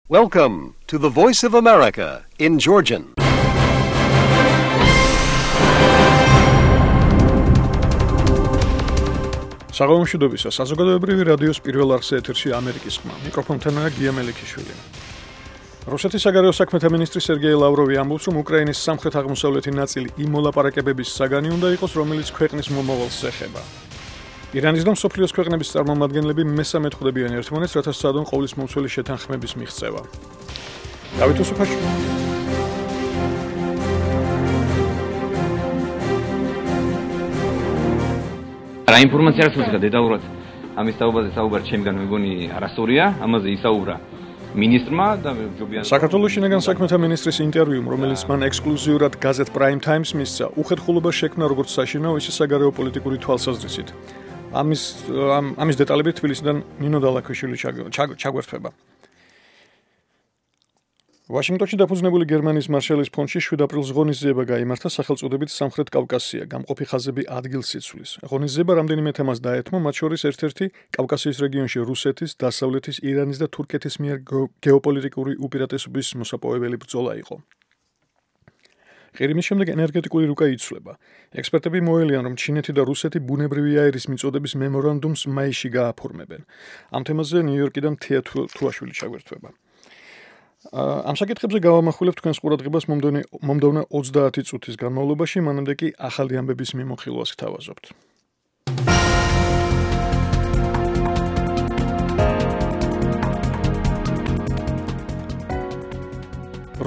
Welcome to the Voice of America in Georgian. საღამომშვიდობისა საზოგადოებრივი რადიოს პირველ არხზე ეთერში ამერიკის ხმა. მიკროფონთანაა გია მელიქიშვილი. რუსეთის საგარეო საქმეთა მინისტრი სერგეი ლავროვი ამბობს, რომ უკრაინის სამხრეთ-აღმოსავლეთი ნაწილი იმ მოლაპარაკებების საგანი უნდა იყოს, რომელიც ქვეყნის მომავალს ეხება. ირანის და მსოფლიოს ქვეყნების წარმომადგენლები მესამე ხვდებიან ერთმანეთს, რათა სცადონ ყოვლისმომცველი შეთანხმების მიღწევა. დავით უსუფაშვილი რა ინფორმაცია რაც მოგცეთ დეტალურად ამის თაობაზე საუბარი ჩემგან მეგონი არასწორია, ამაზე ისაუბრა მინისტრმა და ჯობია საქართველოს შინაგან საქმეთა მინისტრის ინტერვიუმ, რომელიც მან ექსკლუზიურად გაზეთ Prime Times მისცა, უხერხულობა შექმნა როგორც საშინაო, ისე საგარეო პოლიტიკური თვალსაზრისით. ამის დეტალები თბილისიდან ნინო დალაქვიშვილი ჩაგვერთვება. ვაშინგტონში დაფუძნებული გერმანიის მარშალის ფონდში 7 აპრილს ღონისძიება გაიმართა სახელწოდებით სამხრეთ კავკასია, გამყოფი ხაზები ადგილსიცვლის. ღონისძიება რამდენიმე თემას დაეთმო, მათ შორის ერთ-ერთი კავკასიის რეგიონში რუსეთის, დასავლეთის, ირანის და თურქეთის მიერ გეოპოლიტიკური უპირატესობის მოსაპოვებელი ბრძოლა იყო. ყირიმის შემდეგ ენერგეტიკული რუკა იცვლება. ექსპერტები მოელიან, რომ ჩინეთი და რუსეთი ბუნებრივი აირის მიწოდების მემორანდუმს მაისში გააფორმებენ. ამ თემაზე ნიუ-იორკიდან თეა თუაშვილი ჩაგვერთვება. ამ საკითხებზე გავამახვილებთ თქვენს ყურადღებას მომდევნო 30 წუთის განმავლობაში, მანამდე კი ახალი ამბების მიმოხილვას გთავაზობთ.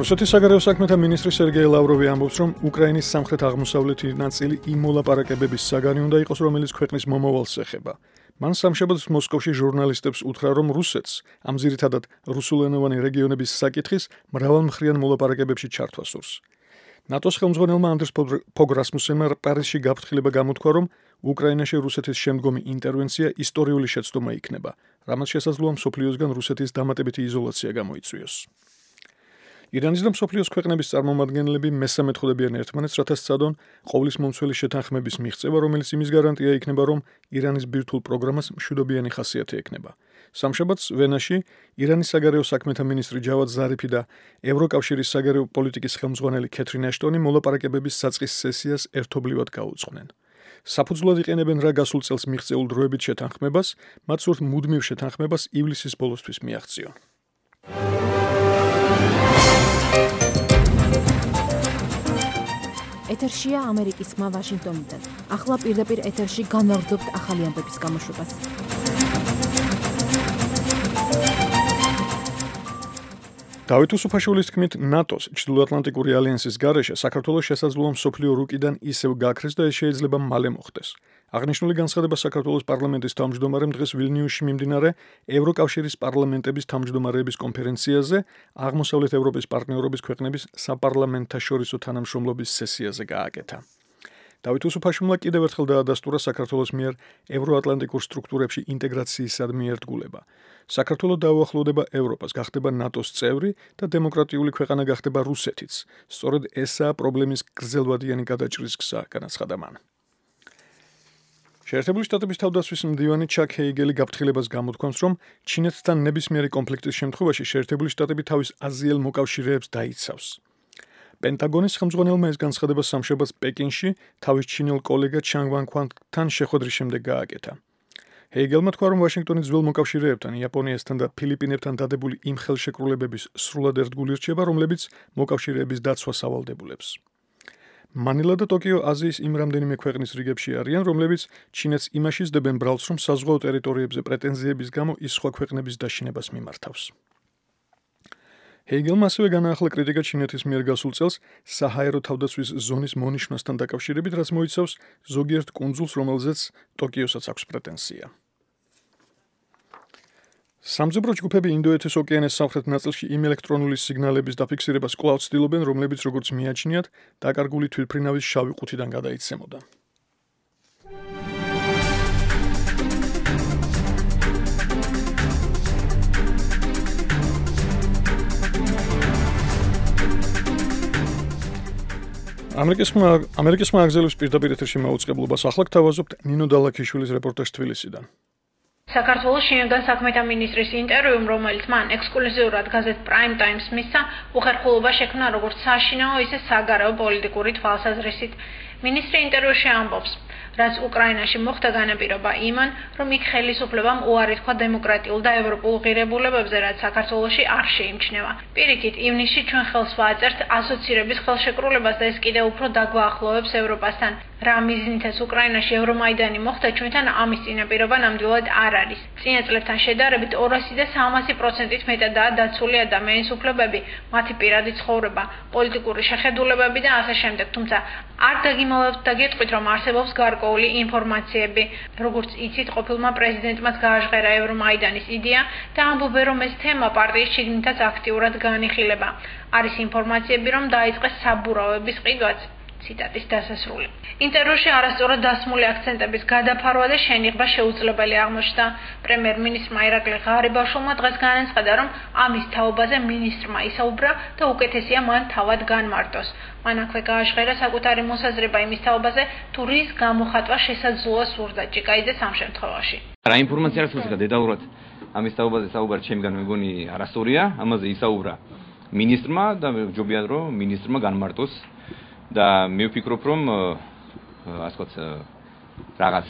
რუსეთის საგარეო საქმეთა მინისტრი სერგეი ლავროვი ამბობს, რომ უკრაინის სამხრეთ-აღმოსავლეთი ნაწილი იმ მოლაპარაკებების საგანი უნდა იყოს, რომელიც ქვეყნის მომავალს ეხება. მან სამშაბათს მოსკოვში ჟურნალისტებს უთხრა, რომ რუსეთს ამ ძირითადად რუსულენოვანი რეგიონების საკითხის მრავალმხრივ მოლაპარაკებებში ჩართვა სურს. ნატოს ხელმძღვანელმა ანდრეს პოგრასმუსენმა პარიზში გაფრთხილება გამოთქვა, რომ უკრაინაში რუსეთის შემდგომი ინტერვენცია ისტორიული შეცდომა იქნება, რამაც შესაძლოა მსოფლიოსგან რუსეთის დამატებითი იზოლაცია გამოიწვიოს. ირანის და მსოფლიოს ქვეყნების წარმომადგენლები მესამე ხვდებიან ერთმანეთს, რათა სცადონ ყოვლისმომცველი შეთანხმების მიღწევა, რომელიც იმის გარანტია იქნება, რომ ირანის ბირთვულ პროგრამას მშვიდობიანი ხასიათი ექნება. სამშაბათს ვენაში ირანის საგარეო საქმეთა მინისტრი ჯავად ზარიფი და ევროკავშირის საგარეო პოლიტიკის ხელმძღვანელი კეთრინ აშტონი მოლაპარაკებების საწყის სესიას ერთობლივად გაუძღვნენ. საფუძვლად იყენებენ რა გასულ წელს მიღწეულ დროებით შეთანხმებას, მათ სურთ მუდმივ შეთანხმებას ივლისის ბოლოსთვის მიაღწიონ. ეთერშია ამერიკის ხმა ვაშინგტონიდან. ახლა პირდაპირ ეთერში განვაგრძობთ ახალი ამბების გამოშვებას. დავით უსუფაშვილის თქმით, ნატოს ჩრდილოატლანტიკური ალიანსის გარეშე საქართველოს შესაძლოა მსოფლიო რუკიდან ისევ გაქრეს და ეს შეიძლება მალე მოხდეს. აღნიშნული განცხადება საქართველოს პარლამენტის თავმჯდომარემ დღეს ვილნიუსში მიმდინარე ევროკავშირის პარლამენტების თავმჯდომარეების კონფერენციაზე აღმოსავლეთ ევროპის პარტნიორობის ქვეყნების საპარლამენტთაშორისო თანამშრომლობის სესიაზე გააკეთა. დავით უსუფაშვილმა კიდევ ერთხელ დაადასტურა საქართველოს მიერ ევროატლანტიკურ სტრუქტურებში ინტეგრაციისადმი ერთგულება. საქართველო დაუახლოვდება ევროპას, გახდება ნატოს წევრი და დემოკრატიული ქვეყანა გახდება რუსეთიც. სწორედ ესაა პრობლემის გრძელვადიანი გადაჭრის გზა, განაცხადა მან. შეერთებული შტატების თავდაცვის მდივანი ჩაკ ჰეიგელი გაფრთხილებას გამოთქვამს, რომ ჩინეთთან ნებისმიერი კონფლიქტის შემთხვევაში შეერთებული შტატები თავის აზიელ მოკავშირეებს დაიცავს. პენტაგონის ხელმძღვანელმა ეს განცხადება სამშაბათს პეკინში თავის ჩინელ კოლეგა ჩანგ ვანქვანგთან შეხვედრის შემდეგ გააკეთა. ჰეიგელმა თქვა, რომ ვაშინგტონი ძველ მოკავშირეებთან, იაპონიასთან და ფილიპინებთან დადებული იმ ხელშეკრულებების სრულად ერთგული რჩება, რომლებიც მოკავშირეების დაცვას ავალდებულებს. მანილა და ტოკიო აზიის იმ რამდენიმე ქვეყნის რიგებში არიან, რომლებიც ჩინეთს იმაში სდებენ ბრალს, რომ საზღვაო ტერიტორიებზე პრეტენზიების გამო ის სხვა ქვეყნების დაშინებას მიმართავს. ჰეიგელმა ასევე განაახლა კრიტიკა ჩინეთის მიერ გასულ წელს საჰაერო თავდაცვის ზონის მონიშვნასთან დაკავშირებით, რაც მოიცავს ზოგიერთ კუნძულს, რომელზეც ტოკიოსაც აქვს პრეტენზია. სამძებრო ჯგუფები ინდოეთის ოკეანის სამხრეთ ნაწილში იმ ელექტრონული სიგნალების დაფიქსირებას კვლავ ცდილობენ, რომლებიც როგორც მიაჩნიათ, დაკარგული თვითმფრინავის შავი ყუთიდან გადაიცემოდა. ამერიკის ხმა აგზელებს პირდაპირ ეთერში მაუწყებლობას. ახლა გთავაზობთ ნინო დალაქვიშვილის რეპორტაჟს თბილისიდან. საქართველოს შინაგან საქმეთა მინისტრის ინტერვიუმ, რომელიც მან ექსკლუზიურად გაზეთ Prime Times მისცა, უხერხულობა შექმნა როგორც საშინაო, ისე საგარეო პოლიტიკური თვალსაზრისით. მინისტრი ინტერვიუში ამბობს, რაც უკრაინაში მოხდა განაპირობა იმან, რომ იქ ხელისუფლებამ უარი თქვა დემოკრატიულ და ევროპულ ღირებულებებზე, რაც საქართველოში არ შეიმჩნევა. პირიქით, ივნისში ჩვენ ხელს ვაწერთ ასოცირების ხელშეკრულებას და ეს კიდევ უფრო დაგვაახლოვებს ევროპასთან. რა მიზნითაც უკრაინაში ევრომაიდანი მოხდა, ჩვენთან ამის წინაპირობა ნამდვილად არ არის. წინა წლებთან შედარებით 200 და 300%-ით მეტადაა დაცული ადამიანის უფლებები, მათი პირადი ცხოვრება, პოლიტიკური შეხედულებები და ასე შემდეგ. თუმცა არ დაგიმალავთ და გეტყვით, რომ არსებობს გარკვეული ინფორმაციები, როგორც იცით, ყოფილმა პრეზიდენტმაც გააჟღერა ევრომაიდანის იდეა და ამბობენ, რომ ეს თემა პარტიის შიგნითაც აქტიურად განიხილება. არის ინფორმაციები, რომ დაიწყეს საბურავების ყიდვაც. ციტატის დასასრული. ინტერვიუში არასწორად დასმული აქცენტების გადაფარვა და შენიღება შეუძლებელი აღმოჩნდა. პრემიერ-მინისტრმა ირაკლი ღარიბაშვილმა დღეს განაცხადა, რომ ამის თაობაზე მინისტრმა ისაუბრა და უკეთესია მან თავად განმარტოს. მან აქვე გააჟღერა საკუთარი მოსაზრება იმის თაობაზე, თუ რის გამოხატვა შესაძლოა სურდა ჭიკაიძეს ამ შემთხვევაში. რა ინფორმაცია აქვს დეტალურად ამის თაობაზე საუბარი ჩემგან მეგონი არასწორია, ამაზე ისაუბრა მინისტრმა და ჯობია რომ მინისტრმა განმარტოს. და მე ვფიქრობ, რომ ასე ვთქვათ, რაღაც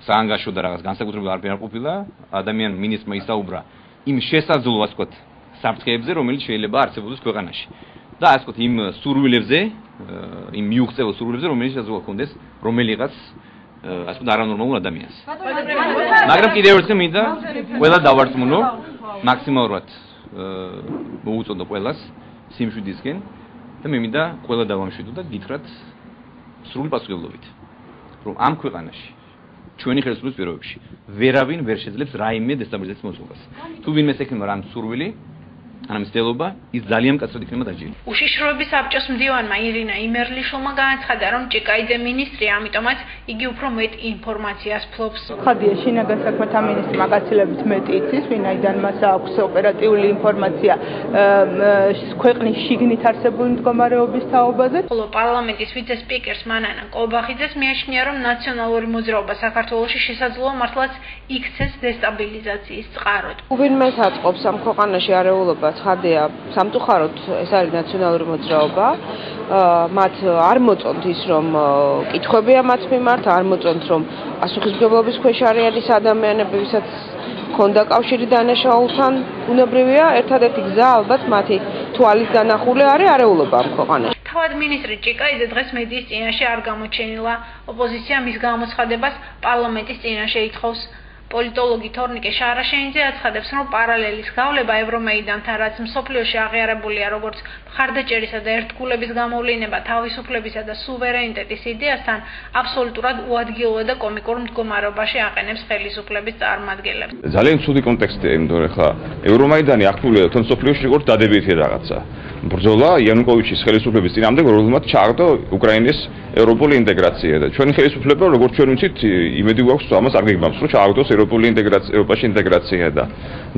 საანგაშო და რაღაც განსაკუთრებული არ ყოფილა, ადამიან მინისტრმა ისაუბრა იმ შესაძლო, ასე ვთქვათ, საფრთხეებზე, რომელიც შეიძლება არსებობდეს ქვეყანაში. და ასე ვთქვათ, იმ სურვილებზე, იმ მიუღწევ სურვილებზე, რომელიც შესაძლოა ქონდეს რომელიღაც, ასე ვთქვათ, არანორმალურ ადამიანს. მაგრამ კიდევ ერთხელ მინდა ყველა დავარწმუნო, მაქსიმალურად მოუწოდო ყველას სიმშვიდისკენ. და მე მინდა ყველა დავამშვიდო და გითხრათ სრული პასუხისმგებლობით, რომ ამ ქვეყანაში ჩვენი ხელისუფლების პირობებში ვერავინ ვერ შეძლებს რაიმე დესტაბილიზაციის მოწყობას. თუ ვინმეს ექნება რამ სურვილი, ან მცდელობა, ის ძალიან მკაცრად იქნება დაჯილი. უშიშროების საბჭოს მდივანმა ირინა იმერლიშვილმა განაცხადა, რომ ჭიკაიძე მინისტრია, ამიტომაც იგი უფრო მეტ ინფორმაციას ფლობს. ხადია შინაგან საქმეთა მინისტრმა გაცილებით მეტი იცის, ვინაიდან მას აქვს ოპერატიული ინფორმაცია ქვეყნის შიგნით არსებული მდგომარეობის თაობაზე. ხოლო პარლამენტის ვიცე-სპიკერს მანანა კობახიძეს მიაჩნია, რომ ნაციონალური მოძრაობა საქართველოში შესაძლოა მართლაც იქცეს დესტაბილიზაციის წყაროდ. ვინმეს აწყობს ამ ქვეყანაში არეულობა ცხადია, სამწუხაროდ ეს არის ნაციონალური მოძრაობა. მათ არ მოწონთ ის, რომ კითხვებია მათ მიმართ, არ მოწონთ, რომ პასუხისმგებლობის ქვეშ არიან ის ადამიანები, ვისაც ქონდა კავშირი დანაშაულთან, უნებრივია, ერთადერთი გზა ალბათ მათი თვალის დანახული არის არეულობა ამ ქვეყანაში. თავად მინისტრი ჭიკაიძე დღეს მედიის წინაშე არ გამოჩენილა. ოპოზიცია მის გამოცხადებას პარლამენტის წინაშე ითხოვს. პოლიტოლოგი თორნიკე შარაშენიძე აცხადებს, რომ პარალელის გავლება ევრომეიდანთან, რაც მსოფლიოში აღიარებულია როგორც მხარდაჭერისა და ერთგულების გამოვლინება თავისუფლებისა და სუვერენიტეტის იდეასთან, აბსოლუტურად უადგილო და კომიკურ მდგომარეობაში აყენებს ხელისუფლების წარმომადგენლებს. ძალიან ცუდი კონტექსტია, იმიტომ რომ ხა ევრომაიდანი აქტიურია თვითონ მსოფლიოში როგორც დადებითი რაღაცა. ბრძოლა იანუკოვიჩის ხელისუფლების წინამდე, რომელმაც ჩააგდო უკრაინის ევროპული ინტეგრაცია და ჩვენი ხელისუფლება, როგორც ჩვენ ვიცით, იმედი გვაქვს ამას არ გეგმავს, რომ ჩააგდოს ევროპული ინტეგრაცია, ევროპაში ინტეგრაცია და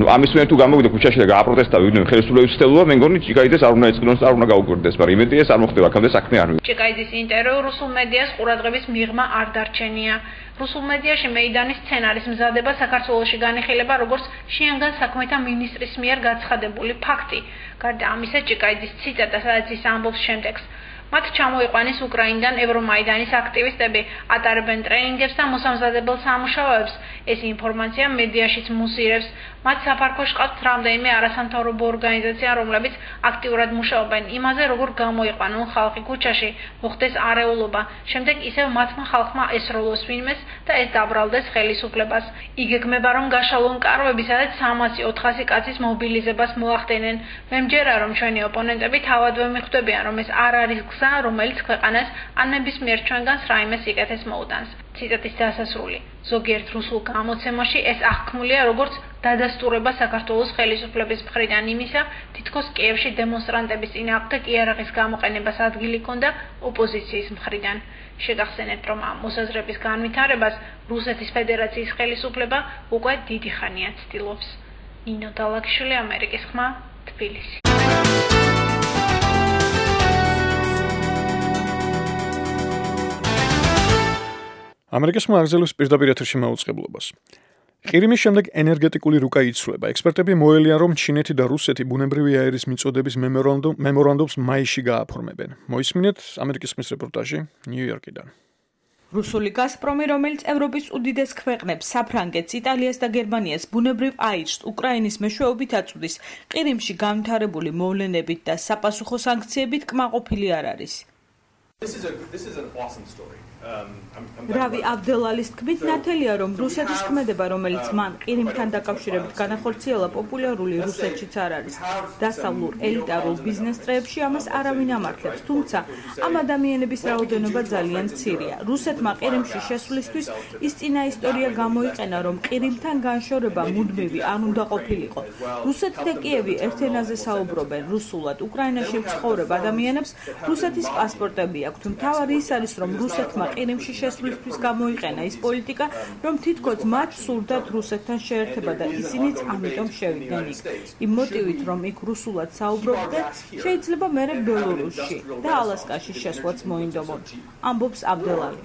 ამის მიერ თუ გამოვიდა ქუჩაში და გააპროტესტა ვინმე ხელისუფლების ცდელობა, მე მგონი ჭიკაიძეს არ უნდა ეწყინოს და არ უნდა გაუკვირდეს, მაგრამ იმედია ეს არ მოხდება, აქამდე საქმე არ მივიდა. ჭიკაიძის ინტერვიუ რუსულ მედიას ყურადღების მიღმა არ დარჩენია. რუსულ მედიაში მეიდანის სცენარის მზადება საქართველოში განიხილება როგორც შინაგან საქმეთა მინისტრის მიერ გაცხადებული ფაქტი. გარდა ამისა, ჭიკაიძის ციტატა, სადაც ის ამბობს შემდეგს: მათ ჩამოიყვანეს უკრაინიდან ევრომაიდანის აქტივისტები, ატარებენ ტრენინგებს და მოსამზადებელ სამუშაოებს. ეს ინფორმაცია მედიაშიც მუსირებს. მათ საფარქვეში ყავთ რამდენიმე არასამთავრობო ორგანიზაცია, რომლებიც აქტიურად მუშაობენ იმაზე, როგორ გამოიყვანონ ხალხი ქუჩაში, მოხდეს არეულობა. შემდეგ ისევ მათმა ხალხმა ესროლოს ვინმეს და ეს დაბრალდეს ხელისუფლებას. იგეგმება, რომ გაშალონ კარვები, სადაც 300-400 კაცის მობილიზებას მოახდენენ. მე მჯერა, რომ ჩვენი ოპონენტები თავადვე მიხვდებიან, რომ ეს არ არის გზა, რომელიც ქვეყანას ან ნებისმიერ ჩვენგანს რაიმე სიკეთეს მოუტანს. ციტატის დასასრული. ზოგიერთ რუსულ გამოცემაში ეს აღქმულია როგორც დადასტურება საქართველოს ხელისუფლების მხრიდან იმისა, თითქოს კიევში დემონსტრანტების წინააღმდეგ იარაღის გამოყენებას ადგილი ჰქონდა ოპოზიციის მხრიდან. შეგახსენებთ, რომ ამ მოსაზრების განვითარებას რუსეთის ფედერაციის ხელისუფლება უკვე დიდი ხანია ცდილობს. ნინო დალაგიშვილი, ამერიკის ხმა, თბილისი. ამერიკის ხმა აგზელოს პირდაპირ ეთერში მაუწყებლობას. ყირიმის შემდეგ ენერგეტიკული რუკა იცვლება. ექსპერტები მოელიან, რომ ჩინეთი და რუსეთი ბუნებრივი აირის მიწოდების მემორანდუმს მაისში გააფორმებენ. მოისმინეთ ამერიკის ხმის რეპორტაჟი ნიუ-იორკიდან. რუსული გაზპრომი, რომელიც ევროპის უდიდეს ქვეყნებს, საფრანგეთს, იტალიას და გერმანიას ბუნებრივ აირს უკრაინის მეშვეობით აწვდის, ყირიმში განვითარებული მოვლენებით და საპასუხო სანქციებით კმაყოფილი არ არის. რავი აბდელალის თქმით, ნათელია, რომ რუსეთის ქმედება, რომელიც მან ყირიმთან დაკავშირებით განახორციელა, პოპულარული რუსეთშიც არ არის. დასავლურ ელიტარულ ბიზნეს წრეებში ამას არავინ ამართლებს, თუმცა ამ ადამიანების რაოდენობა ძალიან მცირეა. რუსეთმა ყირიმში შესვლისთვის ის წინა ისტორია გამოიყენა, რომ ყირიმთან განშორება მუდმივი არ უნდა ყოფილიყო. რუსეთი და კიევი ერთ ენაზე საუბრობენ რუსულად. უკრაინაში მცხოვრებ ადამიანებს რუსეთის პასპორტები აქვთ. მთავარი ის არის, რომ რუსეთმა ყირიმში შესვლისთვის გამოიყენა ის პოლიტიკა, რომ თითქოს მათ სურდათ რუსეთთან შეერთება და ისინიც ამიტომ შევიდნენ იქ. იმ მოტივით, რომ იქ რუსულად საუბრობდნენ, შეიძლება მერე ბელორუსში და ალასკაში შესვლაც მოინდომონ. ამბობს აბდელალი.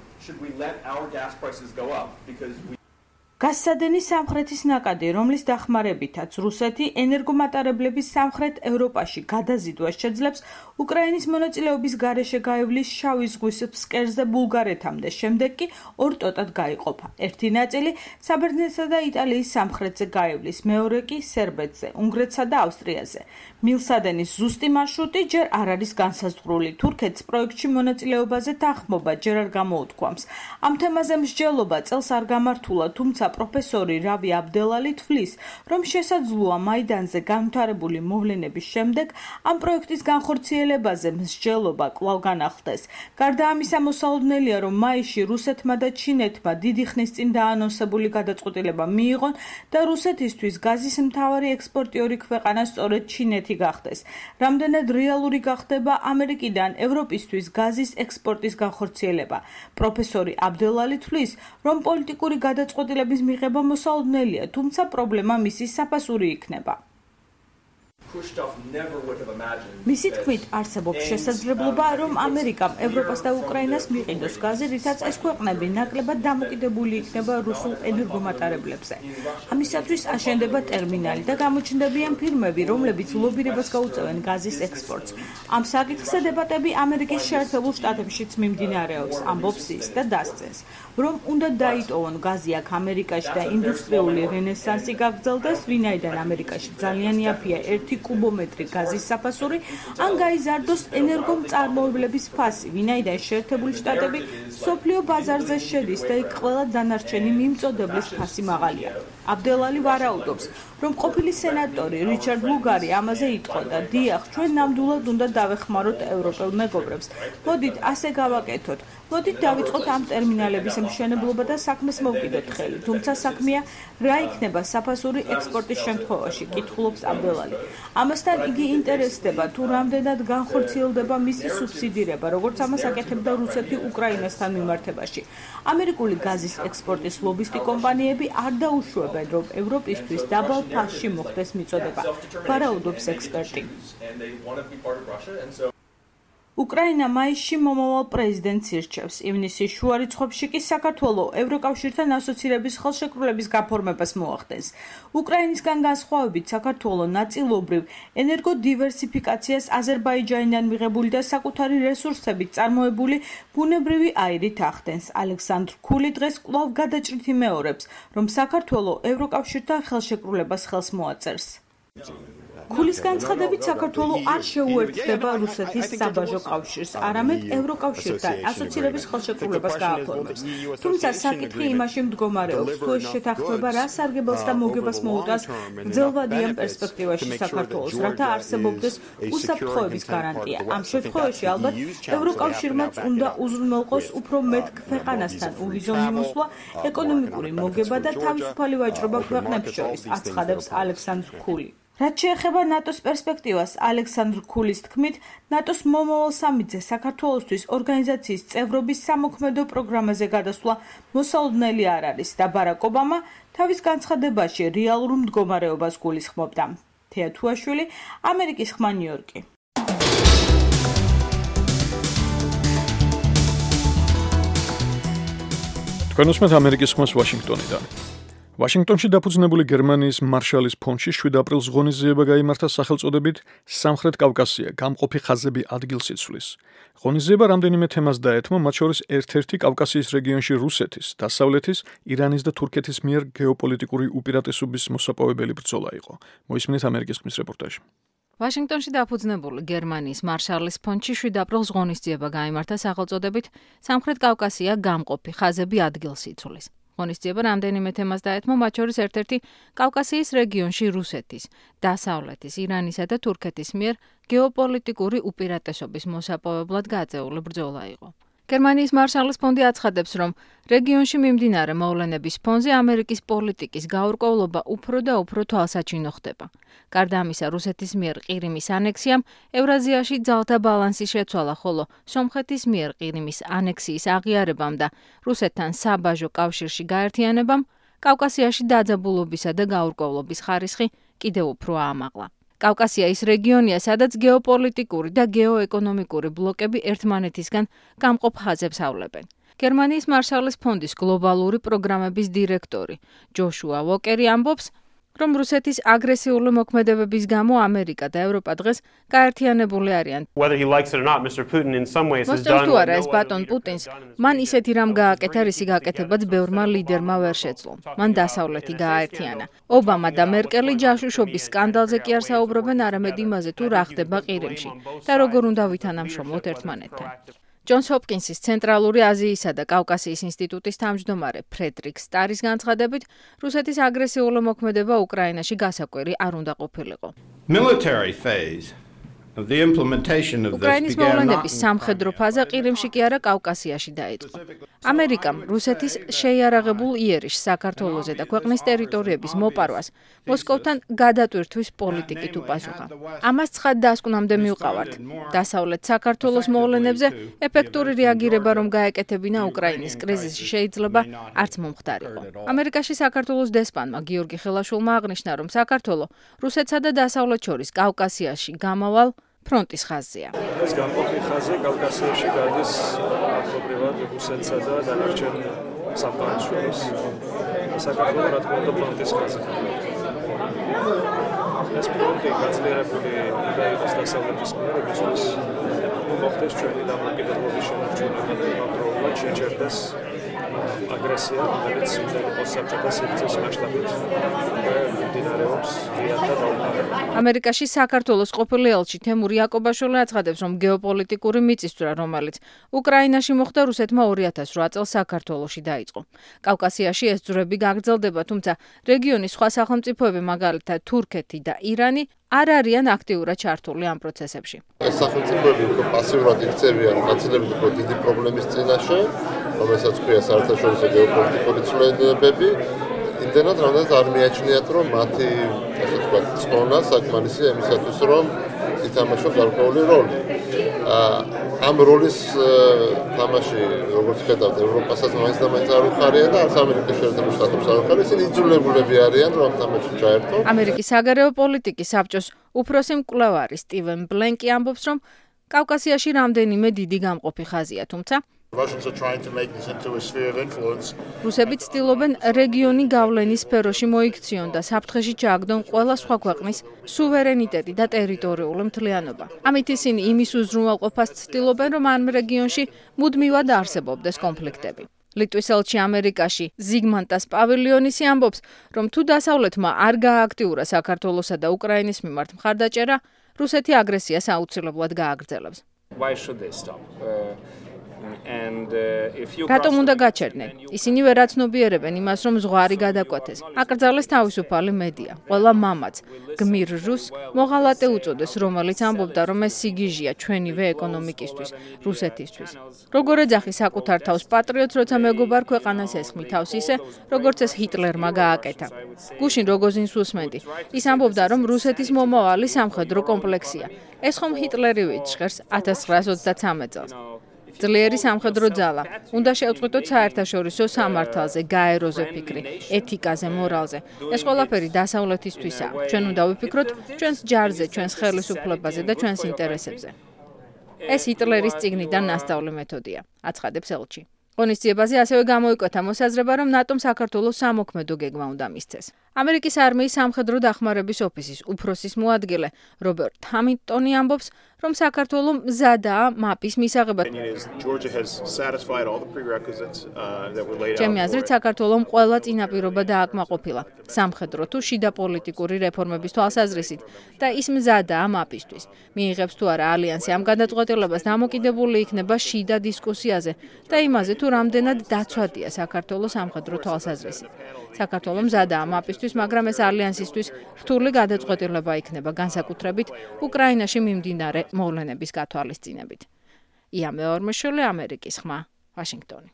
გაზსადენი სამხრეთის ნაკადი, რომლის დახმარებითაც რუსეთი ენერგომატარებლების სამხრეთ ევროპაში გადაზიდვას შეძლებს, უკრაინის მონაწილეობის გარეშე გაივლის შავი ზღვის ფსკერზე ბულგარეთამდე, შემდეგ კი ორ ტოტად გაიყოფა. ერთი ნაწილი საბერძნეთსა და იტალიის სამხრეთზე გაივლის, მეორე კი სერბეთზე, უნგრეთსა და ავსტრიაზე. მილსადენის ზუსტი მარშრუტი ჯერ არ არის განსაზღვრული. თურქეთს პროექტში მონაწილეობაზე თანხმობა ჯერ არ გამოუთქვამს. ამ თემაზე მსჯელობა წელს არ გამართულა, თუმცა პროფესორი რავი აბდელალი თვლის, რომ შესაძლოა მაიდანზე განვითარებული მოვლენების შემდეგ ამ პროექტის განხორციელებაზე მსჯელობა კვლავ განახლდეს. გარდა ამისა, მოსალოდნელია, რომ მაისში რუსეთმა და ჩინეთმა დიდი ხნის წინ დაანონსებული გადაწყვეტილება მიიღონ და რუსეთისთვის გაზის მთავარი ექსპორტიორი ქვეყანა სწორედ ჩინეთი გახდეს. რამდენად რეალური გახდება ამერიკიდან ევროპისთვის გაზის ექსპორტის განხორციელება. პროფესორი აბდელალი თვლის, რომ პოლიტიკური გადაწყვეტილების მიღება მოსალოდნელია, თუმცა პრობლემა მისი საფასური იქნება. მისი თქმით, არსებობს შესაძლებლობა, რომ ამერიკამ ევროპას და უკრაინას მიყიდოს გაზი, რითაც ეს ქვეყნები ნაკლებად დამოკიდებული იქნება რუსულ ენერგომატარებლებზე. ამისათვის აშენდება ტერმინალი და გამოჩნდებიან ფირმები, რომლებიც ლობირებას გაუწევენ გაზის ექსპორტს. ამ საკითხზე დებატები ამერიკის შეერთებულ შტატებშიც მიმდინარეობს, ამბობს ის და დასწენს, რომ უნდა დაიტოვონ გაზი აქ ამერიკაში და ინდუსტრიული რენესანსი გაგრძელდეს, ვინაიდან ამერიკაში ძალიან იაფია 1 კუბომეტრი გაზის საფასური, ან გაიზარდოს ენერგომწარმოებლების ფასი, ვინაიდან შეერთებული შტატები მსოფლიო ბაზარზე შედის და იქ ყველა დანარჩენი მიმწოდeblis ფასი მაღალია. აბდელალი ვარაუდობს, რომ ყოფილი სენატორი რიჩარდ ლუგარი ამაზე იტყოდა, დიახ, ჩვენ ნამდვილად უნდა დავეხმაროთ ევროპელ მეგობრებს. მოდით ასე გავაკეთოთ. მოდით დავიწყოთ ამ ტერმინალების მშენებლობა და საქმეს მოვკიდოთ ხელი. თუმცა საქმეა რა იქნება საფასური ექსპორტის შემთხვევაში, კითხულობს აბდელალი. ამასთან იგი ინტერესდება, თუ რამდენად განხორციელდება მისი სუბსიდირება, როგორც ამას აკეთებდა რუსეთი უკრაინასთან მიმართებაში. ამერიკული გაზის ექსპორტის ლობისტი კომპანიები არ დაუშვებენ, რომ ევროპისთვის დაბალ ფასში მოხდეს მიწოდება, ვარაუდობს ექსპერტი. უკრაინა მაისში მომავალ პრეზიდენტს ირჩევს. ივნისის შუა რიცხვებში კი საქართველოს ევროკავშირთან ასოცირების ხელშეკრულების გაფორმებას მოახდენს. უკრაინისგან განსხვავებით, საქართველოს ნაწილობრივ ენერგოდივერსიფიკაციას აზერბაიჯანიდან მიღებული და საკუთარი რესურსებით წარმოებული ბუნებრივი აირით ახდენს. ალექსანდრ ქული დღეს კვლავ გადაჭრით იმეორებს, რომ საქართველოს ევროკავშირთან ხელშეკრულებას ხელს მოაწერს. ქულის განცხადებით, საქართველოს არ შეუერთდება რუსეთის საბაჟო კავშირს, არამედ ევროკავშირთან ასოცირების ხელშეკრულებას გააფორმებს. თუმცა საკითხი იმაში მდგომარეობს, თუ ეს შეთანხმება რა სარგებელს და მოგებას მოუტანს გრძელვადიან პერსპექტივაში საქართველოს, რათა არსებობდეს უსაფრთხოების გარანტია. ამ შემთხვევაში ალბათ ევროკავშირმაც უნდა უზრუნველყოს უფრო მეტ ქვეყანასთან უვიზო მიმოსვლა, ეკონომიკური მოგება და თავისუფალი ვაჭრობა ქვეყნებს შორის, აცხადებს ალექსანდრ ქული. რაც შეეხება ნატოს პერსპექტივას, ალექსანდრ ქულის თქმით, ნატოს მომავალ სამიტზე საქართველოსთვის ორგანიზაციის წევრობის სამოქმედო პროგრამაზე გადასვლა მოსალოდნელი არ არის და ბარაკ ობამა თავის განცხადებაში რეალურ მდგომარეობას გულისხმობდა. თეა თუაშვილი, ამერიკის ხმა, ნიუ-იორკი. თქვენ უსმენთ ამერიკის ხმას ვაშინგტონიდან. ვაშინგტონში დაფუძნებული გერმანიის მარშალის ფონდში 7 აპრილს ღონისძიება გაიმართა სახელწოდებით სამხრეთ კავკასია გამყოფი ხაზები ადგილსიცვლის. ღონისძიება რამდენიმე თემას დაეთმო, მათ შორის ერთ-ერთი კავკასიის რეგიონში რუსეთის, დასავლეთის, ირანის და თურქეთის მიერ გეოპოლიტიკური უპირატესობის მოსაპოვებელი ბრძოლა იყო. მოისმინეთ ამერიკის ხმის რეპორტაჟი. ვაშინგტონში დაფუძნებული გერმანიის მარშალის ფონდში 7 აპრილს ღონისძიება გაიმართა სახელწოდებით სამხრეთ კავკასია გამყოფი ხაზები ადგილსიცვლის. ღონისძიება რამდენიმე თემას დაეთმო, მათ შორის ერთ-ერთი კავკასიის რეგიონში რუსეთის, დასავლეთის, ირანისა და თურქეთის მიერ გეოპოლიტიკური უპირატესობის მოსაპოვებლად გაწეული ბრძოლა იყო. გერმანიის მარშალის ფონდი აცხადებს, რომ რეგიონში მიმდინარე მოვლენების ფონზე ამერიკის პოლიტიკის გაურკვევლობა უფრო და უფრო თვალსაჩინო ხდება. გარდა ამისა, რუსეთის მიერ ყირიმის ანექსიამ ევრაზიაში ძალთა ბალანსი შეცვალა, ხოლო სომხეთის მიერ ყირიმის ანექსიის აღიარებამ და რუსეთთან საბაჟო კავშირში გაერთიანებამ კავკასიაში დაძაბულობისა და გაურკვევლობის ხარისხი კიდევ უფრო აამაღლა. კავკასია ის რეგიონია, სადაც გეოპოლიტიკური და გეოეკონომიკური ბლოკები ერთმანეთისგან გამყოფ ხაზებს ავლებენ. გერმანიის მარშალის ფონდის გლობალური პროგრამების დირექტორი ჯოშუა ვოკერი ამბობს, რომ რუსეთის აგრესიული მოქმედებების გამო ამერიკა და ევროპა დღეს გაერთიანებული არიან. მოსწონს თუ არა ეს ბატონ პუტინს, მან ისეთი რამ გააკეთა, რისი გაკეთებაც ბევრმა ლიდერმა ვერ შეძლო. მან დასავლეთი გააერთიანა. ობამა და მერკელი ჯაშუშობის სკანდალზე კი არ საუბრობენ, არამედ იმაზე, თუ რა ხდება ყირიმში და როგორ უნდა ვითანამშრომლოთ ერთმანეთთან. ჯონს ჰოპკინსის ცენტრალური აზიისა და კავკასიის ინსტიტუტის თავმჯდომარე ფრედრიკ სტარის განცხადებით, რუსეთის აგრესიული მოქმედება უკრაინაში გასაკვირი არ უნდა ყოფილიყო. უკრაინის მოვლენების სამხედრო ფაზა ყირიმში კი არა კავკასიაში დაიწყო. ამერიკამ რუსეთის შეიარაღებულ იერიშს საქართველოზე და ქვეყნის ტერიტორიების მოპარვას მოსკოვთან გადატვირთვის პოლიტიკით უპასუხა. ამას ცხად დასკვნამდე მივყავართ. დასავლეთ საქართველოს მოვლენებზე ეფექტური რეაგირება რომ გაეკეთებინა უკრაინის კრიზისში შეიძლება არც მომხდარიყო. ამერიკაში საქართველოს დესპანმა გიორგი ხელაშვილმა აღნიშნა, რომ საქართველო რუსეთსა და დასავლეთ შორის კავკასიაში გამავალ ფრონტის ხაზია. ეს გამყოფი ხაზი კავკასიაში გადის აქტიურად რუსეთსა და დანარჩენ სამყაროს შორის. საქართველოს რა თქმა უნდა ფრონტის ხაზი. ეს ფრონტი გაძლიერებული უნდა იყოს დასავლეთის მიერ, როდესაც მოხდეს ჩვენი დამოუკიდებლობის შენარჩუნება და იმავდროულად შეჩერდეს აგრესია, რომელიც საბჭოთა სივრცის მასშტაბით მიმდინარეობს ღიად და დაუყარებლად. ამერიკაში საქართველოს ყოფილი ელჩი თემური იაკობაშვილი აცხადებს, რომ გეოპოლიტიკური მიწისძვრა, რომელიც უკრაინაში მოხდა, რუსეთმა 2008 წელს საქართველოში დაიწყო. კავკასიაში ეს ძვრები გაგრძელდება, თუმცა რეგიონის სხვა სახელმწიფოები, მაგალითად თურქეთი და ირანი, არ არიან აქტიურად ჩართული ამ პროცესებში. ეს სახელმწიფოები უფრო პასიურად იქცევიან გაცილებით უფრო დიდი პრობლემის წინაშე, რომელსაც ქვია საერთაშორისო გეოპოლიტიკური ცვლილებები. იმდენად, რამდენიც არ მიაჩნიათ, რომ მათი, ასე ვთქვათ, წონა საკმარისია იმისათვის, რომ ითამაშონ გარკვეული როლი. ამ როლის თამაში, როგორც ხედავთ, ევროპასაც მაინც და მაინც არ უხარია და არც ამერიკის შეერთებულ შტატებს არ უხარია, ისინი იძულებულები არიან, რომ თამაში ჩაერთონ. ამერიკის საგარეო პოლიტიკის საბჭოს უფროსი მკვლევარი სტივენ ბლენკი ამბობს, რომ კავკასიაში რამდენიმე დიდი გამყოფი ხაზია, თუმცა რუსები ცდილობენ რეგიონი გავლენის სფეროში მოიქციონ და საფრთხეში ჩააგდონ ყველა სხვა ქვეყნის სუვერენიტეტი და ტერიტორიული მთლიანობა. ამით ისინი იმის უზრუნველყოფას ცდილობენ, რომ ამ რეგიონში მუდმივად არსებობდეს კონფლიქტები. ლიტვის ელჩი ამერიკაში ზიგმანტას პავილიონისი ამბობს, რომ თუ დასავლეთმა არ გაააქტიურა საქართველოსა და უკრაინის მიმართ მხარდაჭერა, რუსეთი აგრესიას აუცილებლად გააგრძელებს. რატომ უნდა გაჩერდნენ? ისინი ვერ აცნობიერებენ იმას, რომ ზღვარი გადაკვეთეს. აკრძალეს თავისუფალი მედია. ყველა მამაც გმირ რუსს მოღალატე უწოდეს, რომელიც ამბობდა, რომ ეს სიგიჟია ჩვენივე ეკონომიკისთვის, რუსეთისთვის. როგორ ეძახი საკუთარ თავს პატრიოტს, როცა მეგობარ ქვეყანას ესხმი თავს ისე, როგორც ეს ჰიტლერმა გააკეთა. გუშინ როგოზინს უსმენდი. ის ამბობდა, რომ რუსეთის მომავალი სამხედრო კომპლექსია. ეს ხომ ჰიტლერი ვიჩხერს 1933 წელს. ძლიერი სამხედრო ძალა. უნდა შევწყვიტოთ საერთაშორისო სამართალზე, გაეროზე ფიქრი, ეთიკაზე, მორალზე. ეს ყველაფერი დასავლეთისთვისაა. ჩვენ უნდა ვიფიქროთ ჩვენს ჯარზე, ჩვენს ხელისუფლებაზე და ჩვენს ინტერესებზე. ეს ჰიტლერის წიგნიდან ნასწავლი მეთოდია, აცხადებს ელჩი. ღონისძიებაზე ასევე გამოიკვეთა მოსაზრება, რომ ნატომ საქართველოს სამოქმედო გეგმა უნდა მისცეს. ამერიკის არმიის სამხედრო დახმარების ოფისის უფროსის მოადგილე რობერტ ჰამილტონი ამბობს, რომ საქართველოს მზადაა მაპის მისაღებად. ჩემი აზრით, საქართველოს ყველა წინაპირობა დააკმაყოფილა სამხედრო თუ შიდა პოლიტიკური რეფორმების თვალსაზრისით და ის მზადაა მაპისთვის. მიიღებს თუ არა ალიანსი ამ გადაწყვეტილებას, დამოკიდებული იქნება შიდა დისკუსიაზე და იმაზე, თუ რამდენად დაცვადია საქართველოს სამხედრო თვალსაზრისით. საქართველოს მზადაა მაპისთვის, მაგრამ ეს ალიანსისთვის რთული გადაწყვეტილება იქნება, განსაკუთრებით უკრაინაში მიმდინარე მოვლენების გათვალისწინებით. ია მეორმეშვილი, ამერიკის ხმა, ვაშინგტონი.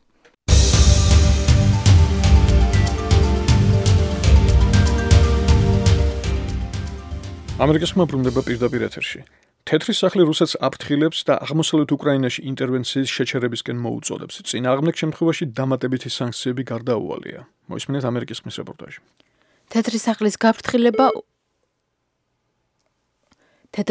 ამერიკის ხმა ბრუნდება პირდაპირ ეთერში. თეთრი სახლი რუსეთს აფრთხილებს და აღმოსავლეთ უკრაინაში ინტერვენციის შეჩერებისკენ მოუწოდებს. წინააღმდეგ შემთხვევაში დამატებითი სანქციები გარდაუვალია. მოისმინეთ ამერიკის ხმის რეპორტაჟი. თეთრი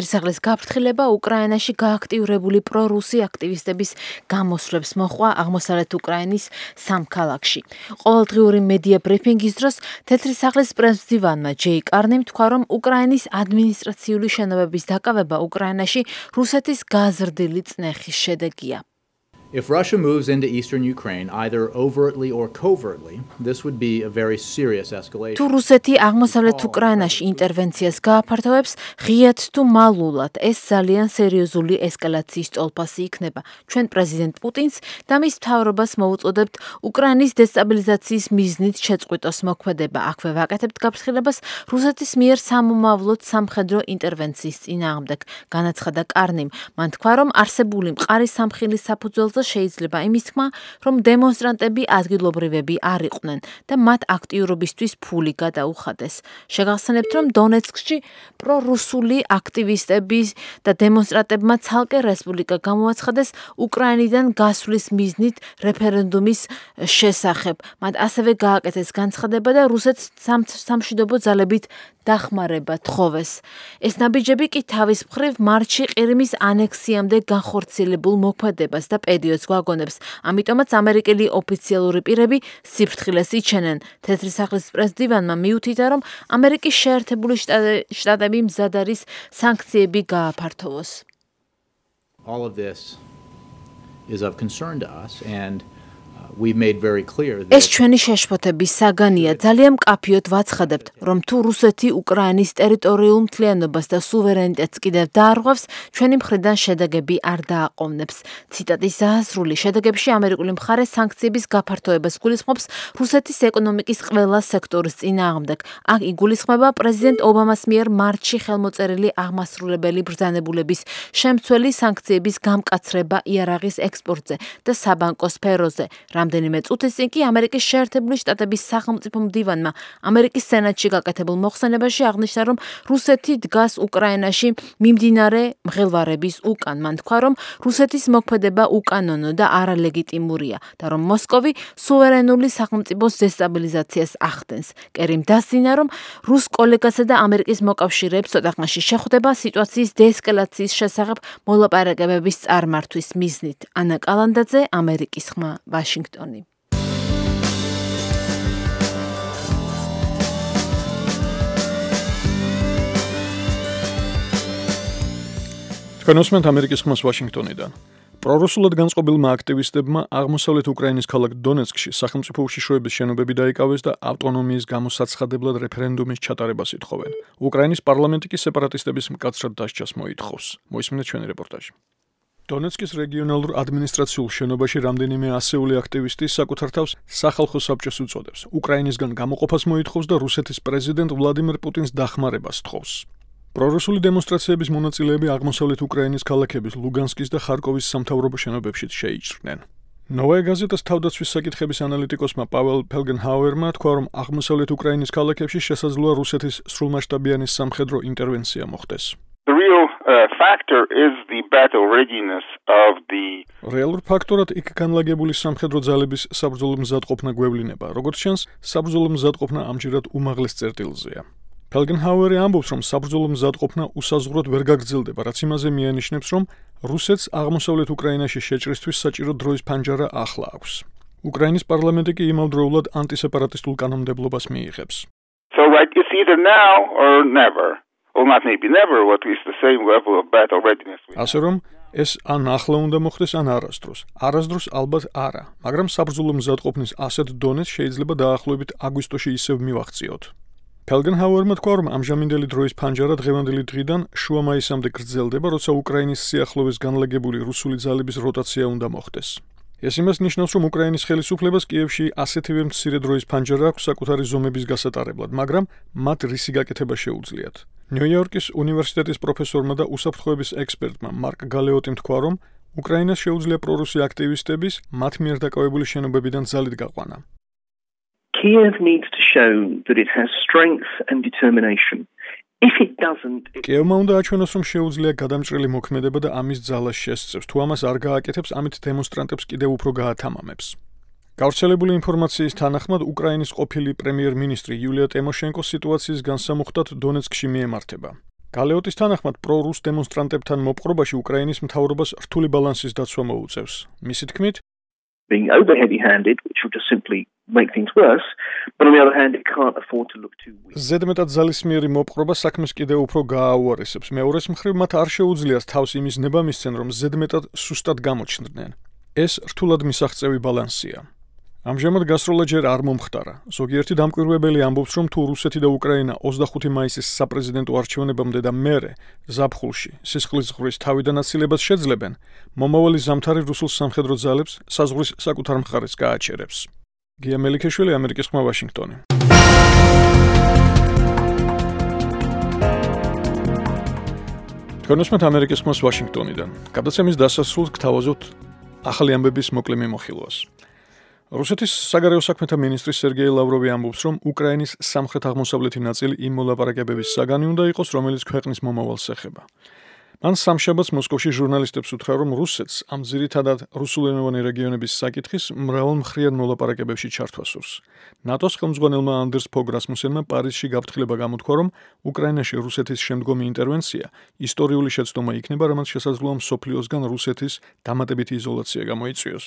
სახლის გაფრთხილება უკრაინაში გააქტიურებული პრორუსი აქტივისტების გამოსვლებს მოჰყვა აღმოსავლეთ უკრაინის სამ ქალაქში. ყოველდღიური მედია ბრიფინგის დროს თეთრი სახლის პრეზიდენტმა ჯეი კარნიმ თქვა, რომ უკრაინის ადმინისტრაციული შენობების დაკავება უკრაინაში რუსეთის გაზრდილი წნეხის შედეგია. If Russia moves into eastern Ukraine, either overtly or covertly, this would be a very serious escalation. თუ რუსეთი აღმოსავლეთ უკრაინაში ინტერვენციას გააფართოვებს, ღიად თუ მალულად, ეს ძალიან სერიოზული ესკალაციის ტოლფასი იქნება. ჩვენ პრეზიდენტ პუტინს და მის მთავრობას მოუწოდებთ უკრაინის დესტაბილიზაციის მიზნით შეწყვიტოს მოქმედება. აქვე ვაკეთებთ გაფრთხილებას რუსეთის მიერ სამომავლოდ სამხედრო ინტერვენციის წინააღმდეგ, განაცხადა კარნიმ. მან თქვა, რომ არსებული მყარი სამხილის საფუძველზე შეიძლება იმის თქმა, რომ დემონსტრანტები ადგილობრივები არ იყვნენ და მათ აქტიურობისთვის ფული გადაუხადეს. შეგახსენებთ, რომ დონეცკში პრორუსული აქტივისტების და დემონსტრანტებმა ცალკე რესპუბლიკა გამოაცხადეს უკრაინიდან გასვლის მიზნით რეფერენდუმის შესახებ. მათ ასევე გააკეთეს განცხადება და რუსეთს სამშვიდობო ძალებით დახმარება თხოვეს. ეს ნაბიჯები კი თავის მხრივ მარტში ყირიმის ანექსიამდე განხორციელებულ მოქმედებას და პერიოდს გვაგონებს. ამიტომაც ამერიკელი ოფიციალური პირები სიფრთხილეს იჩენენ. თეთრი სახლის პრეზიდენტმა მიუთითა, რომ ამერიკის შეერთებული შტატები მზად არის სანქციები გააფართოვოს. All of this is of concern to us and we've made very clear that ეს ჩვენი შეშფოთების საგანია. ძალიან მკაფიოდ ვაცხადებთ, რომ თუ რუსეთი უკრაინის ტერიტორიულ მთლიანობას და სუვერენიტეტს კიდევ დაარღვევს, ჩვენი მხრიდან შედეგები არ დააყოვნებს. ციტატის დასასრული შედეგებში ამერიკული მხარე სანქციების გაფართოებას გულისხმობს რუსეთის ეკონომიკის ყველა სექტორის წინააღმდეგ. აქ იგულისხმება პრეზიდენტ ობამას მიერ მარტში ხელმოწერილი აღმასრულებელი ბრძანებულების შემცველი სანქციების გამკაცრება იარაღის ექსპორტზე და საბანკო სფეროზე. რამდენიმე წუთის წინ კი ამერიკის შეერთებული შტატების სახელმწიფო მდივანმა ამერიკის სენატში გაკეთებულ მოხსენებაში აღნიშნა, რომ რუსეთი დგას უკრაინაში მიმდინარე მღელვარების უკან. მან თქვა, რომ რუსეთის მოქმედება უკანონო და არალეგიტიმურია და რომ მოსკოვი სუვერენული სახელმწიფოს დესტაბილიზაციას ახდენს. კერიმ დასძინა, რომ რუს კოლეგასა და ამერიკის მოკავშირეებს ცოტა ხანში შეხვდება სიტუაციის დეესკალაციის შესახებ მოლაპარაკებების წარმართვის მიზნით. ანა კალანდაძე, ამერიკის ხმა, ვაშინგტონი. თქვენ უსმენთ ამერიკის ხმას ვაშინგტონიდან. პრორუსულად განწყობილმა აქტივისტებმა აღმოსავლეთ უკრაინის ქალაქ დონეცკში სახელმწიფო უშიშროების შენობები დაიკავეს და ავტონომიის გამოსაცხადებლად რეფერენდუმის ჩატარებას ითხოვენ. უკრაინის პარლამენტი კი სეპარატისტების მკაცრად დასჯას მოითხოვს. მოისმინეთ ჩვენი რეპორტაჟი. დონეცკის რეგიონალურ ადმინისტრაციულ შენობაში რამდენიმე ასეული აქტივისტი საკუთარ თავს სახალხო საბჭოს უწოდებს. უკრაინისგან გამოყოფას მოითხოვს და რუსეთის პრეზიდენტ ვლადიმერ პუტინს დახმარებას თხოვს. პრორუსული დემონსტრაციების მონაწილეები აღმოსავლეთ უკრაინის ქალაქების ლუგანსკის და ხარკოვის სამთავრობო შენობებშიც შეიჭრნენ. ნოვაია გაზეტას თავდაცვის საკითხების ანალიტიკოსმა პაվել ფელგენჰაუერმა თქვა, რომ აღმოსავლეთ უკრაინის ქალაქებში შესაძლოა რუსეთის სრულმასშტაბიანი სამხედრო ინტერვენცია მოხდეს. The real factor is the battle readiness of the რეალურ ფაქტორად იქ განლაგებული სამხედრო ძალების საბრძოლო მზადყოფნა გვევლინება. როგორც ჩანს, საბრძოლო მზადყოფნა ამჯერად უმაღლეს წერტილზეა. ფელგენჰაუერი ამბობს, რომ საბრძოლო მზადყოფნა უსაზღვროდ ვერ გაგრძელდება, რაც იმაზე მიანიშნებს, რომ რუსეთს აღმოსავლეთ უკრაინაში შეჭრისთვის საჭირო დროის ფანჯარა ახლა აქვს. უკრაინის პარლამენტი კი იმავდროულად ანტისეპარატისტულ კანონმდებლობას მიიღებს. So it's either now or never. Or not maybe never, what is the same level of battle readiness. ასე რომ ეს ან ახლა უნდა მოხდეს, ან არასდროს. არასდროს ალბათ არა, მაგრამ საბრძოლო მზადყოფნის ასეთ დონეს შეიძლება დაახლოებით აგვისტოში ისევ მივახციოთ. ფელგენჰაუერმა თქვა, რომ ამჟამინდელი დროის ფანჯარა დღევანდელი დღიდან შუა მაისამდე გრძელდება, როცა უკრაინის სიახლოვეს განლაგებული რუსული ძალების როტაცია უნდა მოხდეს. ეს იმას ნიშნავს, რომ უკრაინის ხელისუფლებას კიევში ასეთივე მცირე დროის ფანჯარა აქვს საკუთარი ზომების გასატარებლად, მაგრამ მათ რისი გაკეთება შეუძლიათ. ნიუ-იორკის უნივერსიტეტის პროფესორმა და უსაფრთხოების ექსპერტმა მარკ გალეოტიმ თქვა, რომ უკრაინას შეუძლია პრორუსი აქტივისტების მათ მიერ დაკავებული შენობებიდან ძალით გაყვანა. Kiev needs to show that it has strength and determination. If it doesn't, კიევმა უნდა აჩვენოს, რომ შეუძლია გადამჭრელი მოქმედება და ამის ძალას შესწევს. თუ ამას არ გააკეთებს, ამით დემონსტრანტებს კიდევ უფრო გაათამამებს. გავრცელებული ინფორმაციის თანახმად, უკრაინის ყოფილი პრემიერ-მინისტრი იულია ტიმოშენკო სიტუაციის განსამუხტად დონეცკში მიემართება. გალეოტის თანახმად, პრო-რუს დემონსტრანტებთან მოპყრობაში უკრაინის მთავრობას რთული ბალანსის დაცვა მოუწევს. მისი თქმით, being over heavy-handed, which will just simply make things worse, but on the other hand, it can't afford to look too weak. ზედმეტად ძალისმიერი მოპყრობა საქმეს კიდევ უფრო გააუარესებს. მეორეს მხრივ, მათ არ შეუძლიათ თავს იმის ნება მისცენ, რომ ზედმეტად სუსტად გამოჩნდნენ. ეს რთულად მისაღწევი ბალანსია. ამჟამად გასროლა ჯერ არ მომხდარა. ზოგიერთი დამკვირვებელი ამბობს, რომ თუ რუსეთი და უკრაინა 25 მაისის საპრეზიდენტო არჩევნებამდე და მერე ზაფხულში სისხლის ზღვრის თავიდან აცილებას შეძლებენ, მომავალი ზამთარი რუსულ სამხედრო ძალებს საზღვრის საკუთარ მხარეს გააჩერებს. გია მელიქეშვილი, ამერიკის ხმა, ვაშინგტონი. თქვენოსმეთ ამერიკის ხმას ვაშინგტონიდან. გადაცემის დასასრულს გთავაზობთ ახალი ამბების მოკლე მიმოხილვას. რუსეთის საგარეო საქმეთა მინისტრი სერგეი ლავროვი ამბობს, რომ უკრაინის სამხრეთ-აღმოსავლეთი ნაწილი იმ მოლაპარაკებების საგანი უნდა იყოს, რომელიც ქვეყნის მომავალს ეხება. მან სამშაბათს მოსკოვში ჟურნალისტებს უთხრა, რომ რუსეთს ამ ძირითადად რუსულენოვანი რეგიონების საკითხის მრავალმხრივ მოლაპარაკებებში ჩართვა სურს. ნატოს ხელმძღვანელმა ანდერს ფოგ რასმუსენმა პარიზში გაფრთხილება გამოთქვა, რომ უკრაინაში რუსეთის შემდგომი ინტერვენცია ისტორიული შეცდომა იქნება, რამაც შესაძლოა მსოფლიოსგან რუსეთის დამატებითი იზოლაცია გამოიწვიოს.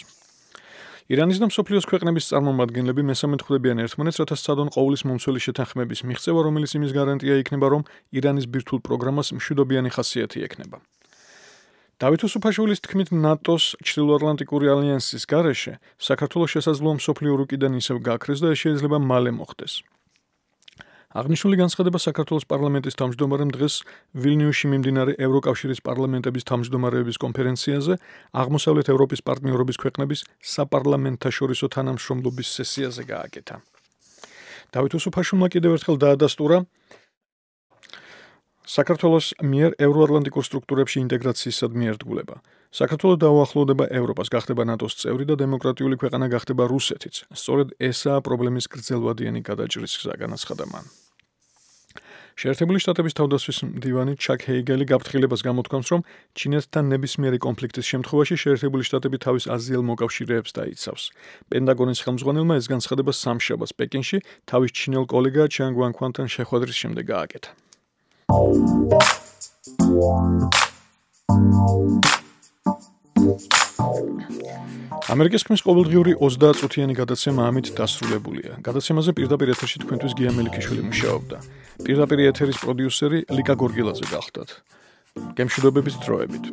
ირანის და მსოფლიოს ქვეყნების წარმომადგენლები მესამედ ხვდებიან ერთმანეთს, რათა სცადონ ყოვლის მომცველი შეთანხმების მიღწევა, რომელიც იმის გარანტია იქნება, რომ ირანის ბირთვულ პროგრამას მშვიდობიანი ხასიათი ექნება. დავით უსუფაშვილის თქმით, ნატოს ჩრდილოატლანტიკური ალიანსის გარეშე საქართველოს შესაძლოა მსოფლიო რუკიდან ისევ გაქრეს და ეს შეიძლება მალე მოხდეს. აღნიშნული განცხადება საქართველოს პარლამენტის თავმჯდომარემ დღეს ვილნიუსში მიმდინარე ევროკავშირის პარლამენტების თავმჯდომარეების კონფერენციაზე აღმოსავლეთ ევროპის პარტნიორობის ქვეყნების საპარლამენტთაშორისო თანამშრომლობის სესიაზე გააკეთა. დავით უსუფაშვილმა კიდევ ერთხელ დაადასტურა საქართველოს მიერ ევროატლანტიკურ სტრუქტურებში ინტეგრაციისადმი ერთგულება. საქართველოს დაუახლოვდება ევროპას, გახდება ნატოს წევრი და დემოკრატიული ქვეყანა გახდება რუსეთიც. სწორედ ესაა პრობლემის გრძელვადიანი გადაჭრის გზა, განაცხადა მან. შეერთებული შტატების თავდაცვის მდივანი ჩაკ ჰეიგელი გაფრთხილებას გამოთქვამს, რომ ჩინეთთან ნებისმიერი კონფლიქტის შემთხვევაში შეერთებული შტატები თავის აზიელ მოკავშირეებს დაიცავს. პენტაგონის ხელმძღვანელმა ეს განცხადება სამშაბათს პეკინში თავის ჩინელ კოლეგა ჩანგ ვანქვანთან შეხვედრის შემდეგ გააკეთა. ამერიკის ხმის ყოველდღიური 30 წუთიანი გადაცემა ამით დასრულებულია. გადაცემაზე პირდაპირ ეთერში თქვენთვის გია მელიქიშვილი მუშაობდა. პირდაპირ ეთერის პროდიუსერი ლიკა გორგილაძე გახდათ. გემშვიდობებით დროებით.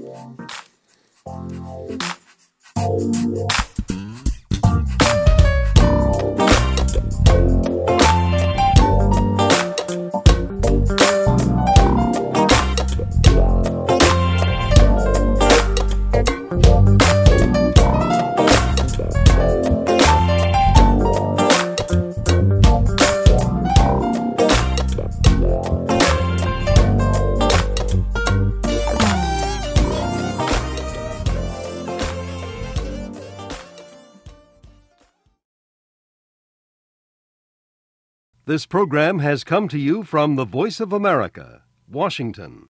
This program has come to you from the Voice of America, Washington.